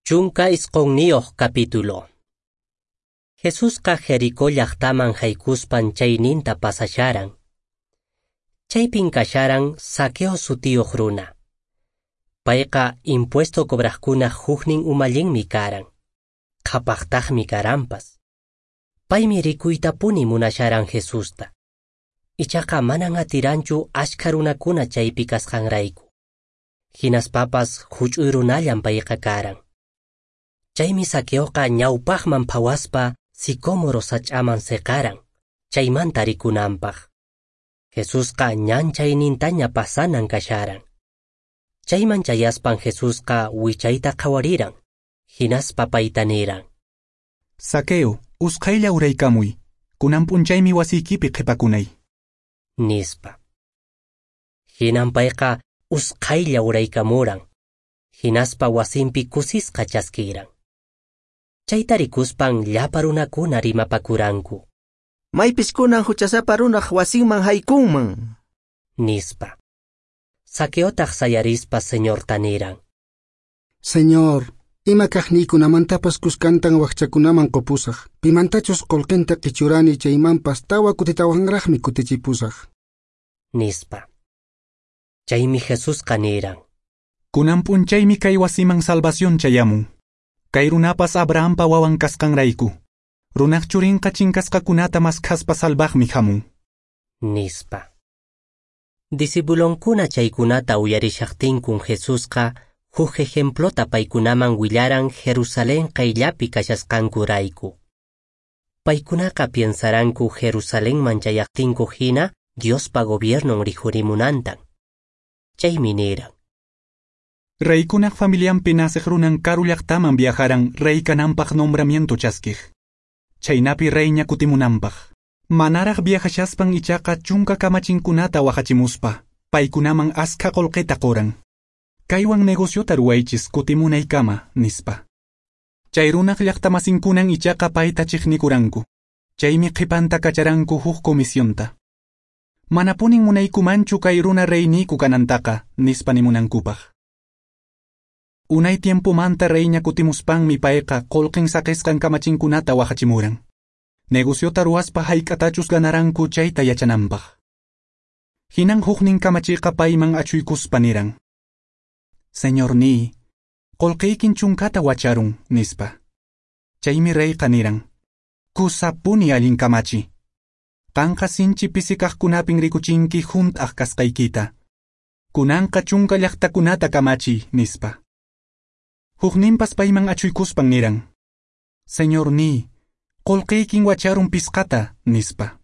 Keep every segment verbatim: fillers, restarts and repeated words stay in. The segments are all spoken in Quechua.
Chunka isqunniyuq capítulo. Jesusqa Jericó llaqtaman haykuspan chayninta pasasharan. Chaypin kasharan Zaqueo sutiyuq runa. Payqa impuesto cobraqkunaq huknin umallinmi karan. Qhapaqtaqmi karanpas. Paymi rikuytapuni munasharan Jesusta. Ichaqa manan atiranchu ashkha runakuna chaypi kasqanrayku. Hinaspapas huch'uy runallan payqa karan. Chaymi Zaqueoqa ñawpaqman phawaspa sicómoro sach'aman seqaran, chaymanta rikunanpaq. Jesusqa ñan chaynintaña pasanan kasharan. Chayman chayaspan Jesusqa wichayta qhawariran, hinaspa payta niran: Zaqueo, usqhaylla uraykamuy, kunan p'unchaymi wasiykipi qhipakunay. Nispa. Hinan payqa usqhaylla uraykamuran, hinaspa wasinpi kusisqa chaskiran. Chayta rikuspan llapa runakuna rimapakuranku. Maypis kunan huchasapa runaq wasinman haykunman. Nispa. Zaqueotaq sayarispa Señorta niran: Señor, ima kaqniykunamantapas kuskantan wakchakunaman qupusaq. Pimantachus qullqinta qichurani chaymanpas tawa kutitawanraqmi kutichipusaq. Nispa. Chaymi Jesusqa niran: Kunan p'unchaymi kay wasiman salvación chayamun. Kay runapas Abrahampa wawan kasqanrayku. Runaq churinqa chinkasqakunata maskhaspa salvaqmi hamun. Nispa. Discipulonkuna chaykunata uyarishaqtinkun Jesusqa huk ejemplota paykunaman willaran Jerusalén qayllapi kashasqankurayku. Paykunaqa piensaranku Jerusalenman chayaqtinku hina Diospa gobiernon rikhurimunantan. Chaymi niran: Reykunaq familianpi naceq runan karu llaqtaman viajaran rey kananpaq nombramiento chaskiq. Chaynapi reyña kutimunanpaq. Manaraq viajashaspan ichaqa chunka kamachinkunata wahachimuspa, paykunaman askha qullqita quran. Kaywan negociota ruwaychis kutimunaykama, nispa. Chay runaq llaqtamasinkunan ichaqa payta chiqnikuranku. Chaymi qhipanta kacharanku huk comisionta. Manapunin munaykumanchu kay runa reyniyku kanantaqa, nispa nimunankupaq. Unay tiempomanta reyña kutimuspanmi payqa qullqin saqisqan kamachinkunata wahachimuran. Negociota ruwaspa hayk'atachus ganaranku chayta yachananpaq. Hinan huknin kamachiqa payman achuykuspa niran: Señorniy, qullqiykin chunkata wacharun, nispa. Chaymi reyqa niran: Kusapuni allin kamachi. Qanqa sinchi pisi kaqkunapin rikuchinki hunt'aq kasqaykita. Kunanqa chunka llaqtakunata kamachiy, nispa. Hukninpas payman achuykuspan niran: Señorniy, qullqiykin wacharun pisqata, nispa.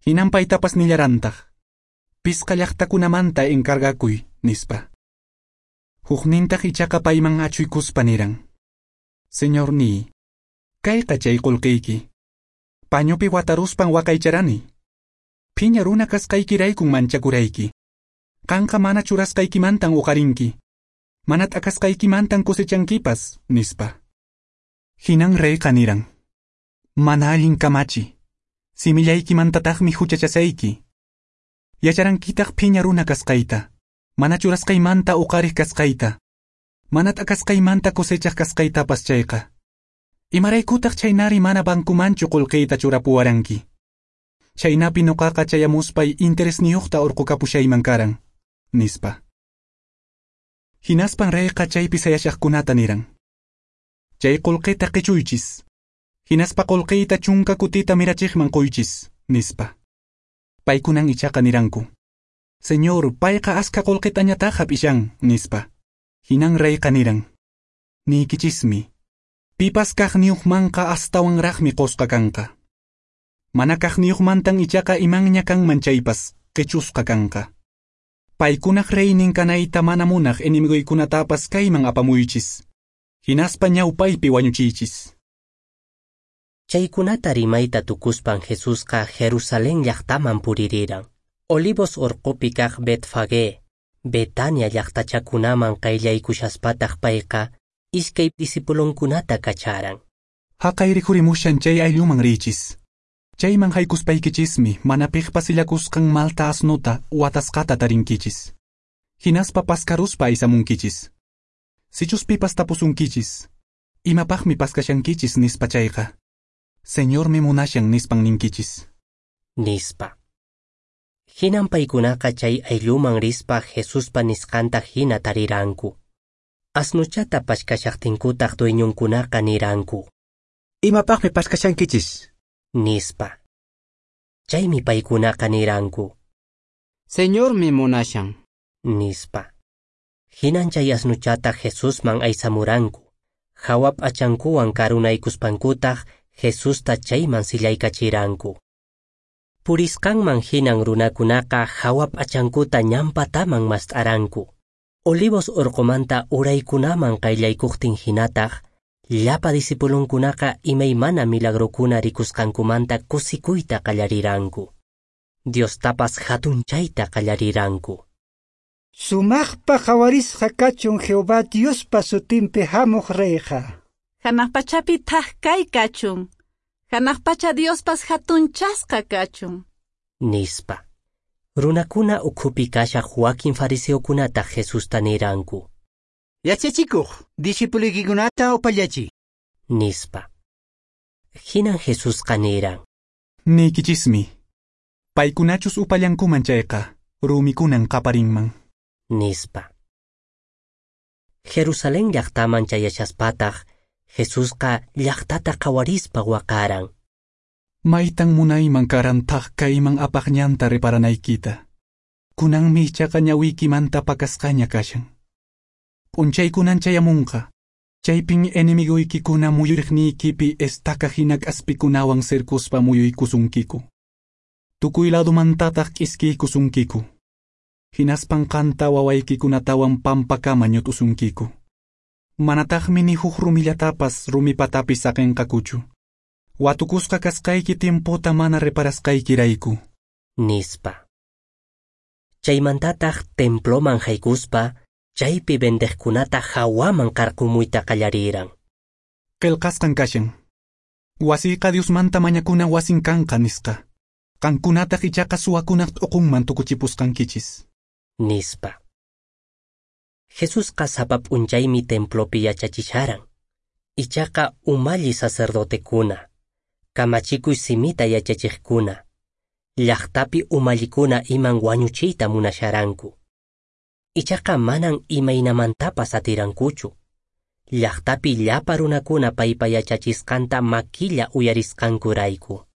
Hinan paytapas nillarantaq: Pisqa llaqtakunamanta encargakuy, nispa. Huknintaq ichaqa payman achuykuspa niran: Señorniy, kayqa chay qullqiyki. Pañupi wataruspan waqaycharani. Phiña runa kasqaykiraykun manchakurayki. Qanqa mana churasqaykimantan uqarinki. Mana t'akasqaykimantan cosechankipas, nispa. Hinan reyqa niran: Mana allin kamachi, simillaykimantataqmi huchachasayki. Yacharankitaq phiña runa kasqayta, mana churasqaymanta uqariq kasqayta, mana t'akasqaymanta cosechaq kasqaytapas chayqa. Imaraykutaq chaynari mana bankumanchu qullqiyta churapuwaranki. Chaynapi nuqaqa chayamuspay interesniyuqta urqukapushayman karan, nispa. Hinaspan reyqa chaypi sayashaqkunata niran: Chay qullqita qichuychis. Hinaspa qullqiyta chunka kutita mirachiqman quychis, nispa. Paykunan ichaqa niranku: Señor, payqa askha qullqitañataq hap'ishan, nispa. Hinan reyqa niran: Niykichismi, pipas kaqniyuqmanqa astawanraqmi qusqa kanqa. Mana kaqniyuqmantan ichaqa imanña kanman chaypas qichusqa kanqa. Paykunaq reynin kanayta mana munaq enemiguykunatapas kayman apamuychis. Hinaspa ñawpaypi wañuchiychis. Chaykunata rimayta tukuspan Jesusqa Jerusalén llaqtaman puririran. Olivos urqupi kaq Betfagé, Betania llaqtachakunaman qayllaykushaspataq payqa iskay discipulonkunata kacharan. Haqay rikhurimushan chay aylluman riychis. Chayman haykuspaykichismi mana piqpa sillakusqan malta asnuta watasqata tarinkichis. Hinaspa paskaruspa aysamunkichis. Sichus pipas tapusunkichis, imapaqmi paskashankichis nispa chayqa, Señormi munashan nispan ninkichis. Nispa. Hinan paykunaqa chay aylluman rispa Jesuspa nisqanta hina tariranku. Asnuchata pashkashaqtinkutaq dueñonkunaqa niranku. Imapaqmi pashkashankichis? Nispa. Chaymi paykunaqa niranku. Señormi munashan. Nispa. Hinan chay asnuchata Jesusman aysamuranku. Hawa p'achankuwan karunaykuspankutaq Jesusta chayman sillaykachiranku. Purisqanman hinan runakunaqa hawa p'achankuta ñanpataman mast'aranku. Olivos urqumanta uraykunaman qayllaykuqtin hinataq, llapa discipulunkunaqa imaymana milagrokuna rikusqankumanta kusikuyta qallariranku. Diostapas hatunchayta qallariranku. Sumaqpa qhawarisqa kachun Jehová Diospa sutinpi hamuq reyqa. Hanaq pachapi thak kay kachun. Hanaq pacha Diospas hatunchasqa kachun. Nispa. Runakuna ukhupi kashaq wakin fariseokunataq Jesusta niranku. Yachachikuq, discipuluykikunata upallachiy. Nispa. Hinan Jesusqa niran. Niykichismi, paykunachus upallankuman chayqa, rumikunan qaparinman. Nispa. Jerusalén llaqtaman chayashaspataq, Jesusqa llaqtata qhawarispa waqaran. Maytan munayman karan thak kayman apaq ñanta reparanaykita. Kunanmi ichaqa ñawiykimanta pakasqaña kashan. P'unchaykunan chayamunqa. Chaypin enemigoykikuna muyuriqniykipi estaca hina k'aspikunawan cercospa muyuykusunkiku. Tukuy ladumantataq k'iskiykusunkiku. Hinaspan qanta wawaykikunatawan pampakama ñut'usunkiku. Manataqmi ni huk rumillatapas rumipatapi saqinqakuchu. Watukusqa kasqayki tiempota mana reparasqaykirayku. Nispa. Chaymantataq temploman haykuspa, chaypi vendeqkunata hawaman qarqumuyta qallariran. Qillqasqan kashan. Wasiyqa Diosmanta mañakuna wasin kanqa nisqa. Qankunataq ichaqa suwakunaq t'uqunman tukuchipusqankichis. Nispa. Jesusqa sapa p'unchaymi templopi yachachisharan. Ichaqa umalli sacerdotekuna, kamachikuy simita yachachiqkuna, llaqtapi umallikuna iman wañuchiyta munasharanku. Ichaqa manan imaynamantapas atirankuchu. Llaqtapi llapa runakuna paypa yachachisqanta makilla uyarisqankurayku.